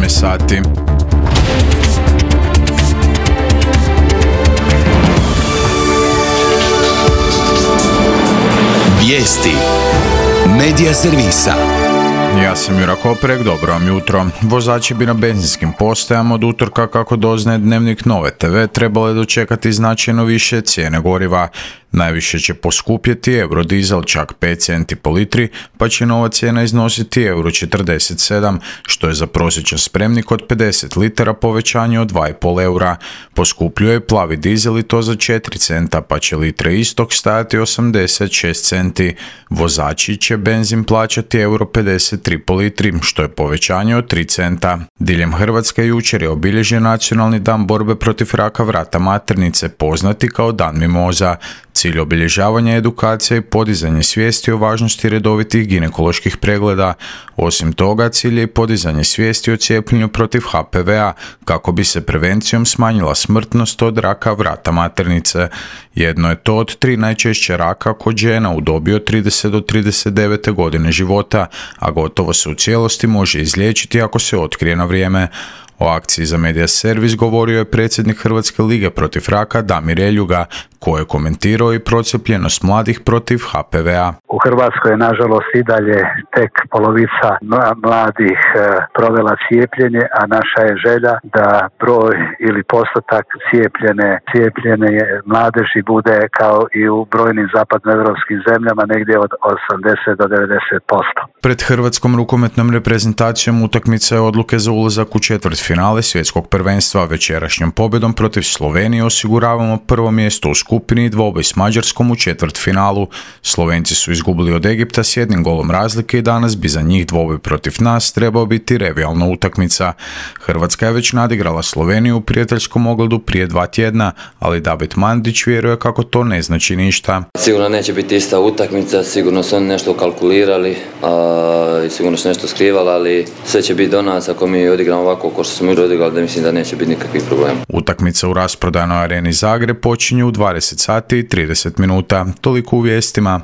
17 sati. Vijesti Medija servisa. Ja sam Jura Koprek, dobro vam jutro. Vozači bi na benzinskim postajama od utorka, kako doznaje Dnevnik Nove TV, trebale dočekati značajno više cijene goriva. Najviše će poskupjeti eurodizel, čak 5 centi po litri, pa će nova cijena iznositi €47, što je za prosječan spremnik od 50 litara povećanje od 2,5 eura. Poskupljuje plavi dizel i to za 4 centa, pa će litre istog stajati 86 centi. Vozači će benzin plaćati €53 po litri, što je povećanje od 3 centa. Diljem Hrvatske jučer je obilježen Nacionalni dan borbe protiv raka vrata maternice, poznati kao Dan mimoza. Cilj obilježavanja je edukacija i podizanje svijesti o važnosti redovitih ginekoloških pregleda. Osim toga, cilj je i podizanje svijesti o cijepljenju protiv HPV-a, kako bi se prevencijom smanjila smrtnost od raka vrata maternice. Jedno je to od 3 najčešće raka kod žena u dobi od 30 do 39. godine života, a gotovo se u cijelosti može izliječiti ako se otkrije na vrijeme. O akciji za Medija servis govorio je predsjednik Hrvatske lige protiv raka Damir Eljuga, koji je komentirao i procijepljenost mladih protiv HPV-a. U Hrvatskoj je nažalost i dalje tek polovica mladih provela cijepljenje, a naša je želja da broj ili postotak cijepljene mladeži bude kao i u brojnim zapadnoevropskim zemljama, negdje od 80 do 90%. Pred hrvatskom rukometnom reprezentacijom utakmica je odluke za ulazak u četvrtfinale svjetskog prvenstva. Večerašnjom pobjedom protiv Slovenije osiguravamo prvo mjesto u skupini i dvoboj s Mađarskom u četvrtfinalu. Slovenci su izgubili od Egipta s 1 golom razlike i danas bi za njih dvoboj protiv nas trebao biti revijalna utakmica. Hrvatska je već nadigrala Sloveniju u prijateljskom ogledu prije 2 tjedna, ali David Mandić vjeruje kako to ne znači ništa. Sigurno neće biti ista utakmica, sigurno su oni nešto kalkulirali i sigurno su nešto skrivali, ali sve će biti do nas ako mi odigramo ovako kao što smo odigrali, da mislim da neće biti nikakvih problema. Utakmica u rasprodanoj areni Zagreb počinje u 20 sati i 30 minuta. Toliko u vijestima.